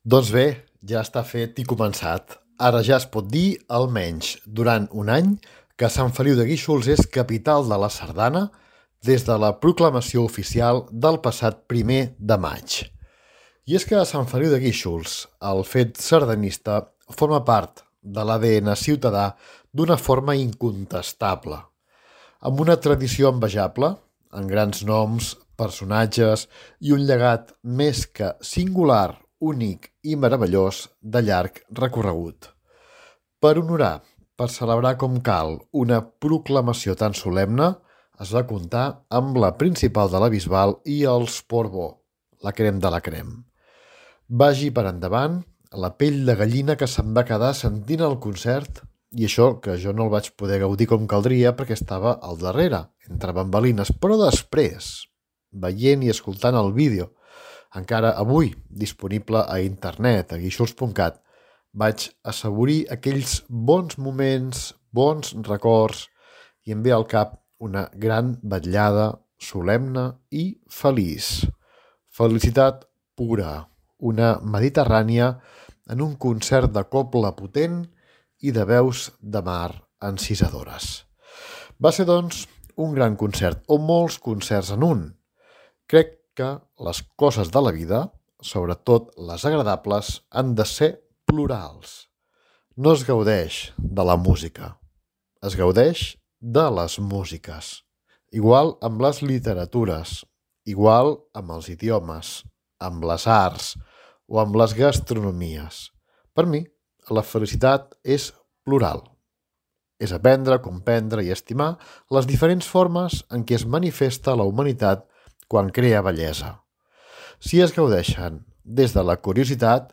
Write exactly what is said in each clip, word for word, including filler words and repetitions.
Doncs bé, ja està fet i començat. Ara ja es pot dir, almenys durant un any, que Sant Feliu de Guíxols és capital de la sardana des de la proclamació oficial del passat primer de maig. I és que a Sant Feliu de Guíxols el fet sardanista forma part de l'A D N ciutadà d'una forma incontestable, amb una tradició envejable, en grans noms, personatges i un llegat més que singular, únic i meravellós de llarg recorregut. Per honorar, per celebrar com cal una proclamació tan solemne, es va comptar amb la principal de la Bisbal i els Portbó, la crem de la crem. Vagi per endavant la pell de gallina que se'n va quedar sentint el concert, i això que jo no el vaig poder gaudir com caldria perquè estava al darrere, entre bambalines, però després, veient i escoltant el vídeo, encara avui disponible a internet, a guíxols punt cat, vaig assaborir aquells bons moments, bons records, i em ve al cap una gran vetllada solemne i feliç. Felicitat pura, una mediterrània en un concert de cobla potent i de veus de mar encisadores. Va ser, doncs, un gran concert, o molts concerts en un. Crec que les coses de la vida, sobretot les agradables, han de ser plurals. No es gaudeix de la música, es gaudeix de les músiques. Igual amb les literatures, igual amb els idiomes, amb les arts o amb les gastronomies. Per mi, la felicitat és plural. És aprendre, comprendre i estimar les diferents formes en què es manifesta la humanitat quan crea bellesa. Si es gaudeixen des de la curiositat,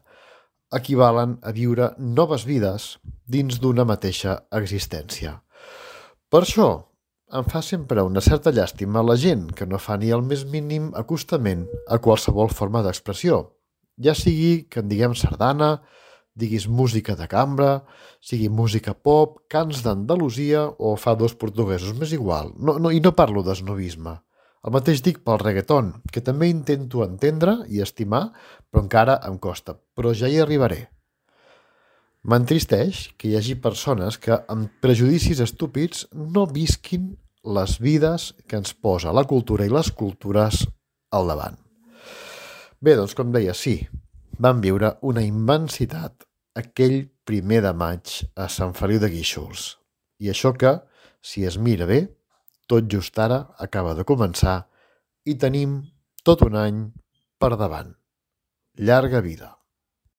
equivalen a viure noves vides dins d'una mateixa existència. Per això, em fa sempre una certa llàstima la gent que no fa ni el més mínim acostament a qualsevol forma d'expressió, ja sigui que en diguem sardana, diguis música de cambra, sigui música pop, cants d'Andalusia o fa dos portuguesos, m'és igual. No, no, I no parlo d'esnovisme. El mateix dic pel reggaeton, que també intento entendre i estimar, però encara em costa. Però ja hi arribaré. M'entristeix que hi hagi persones que, amb prejudicis estúpids, no visquin les vides que ens posa la cultura i les cultures al davant. Bé, doncs, com deia, sí, vam viure una immensitat aquell primer de maig a Sant Feliu de Guíxols. I això que, si es mira bé, tot just ara acaba de començar i tenim tot un any per davant. Llarga vida.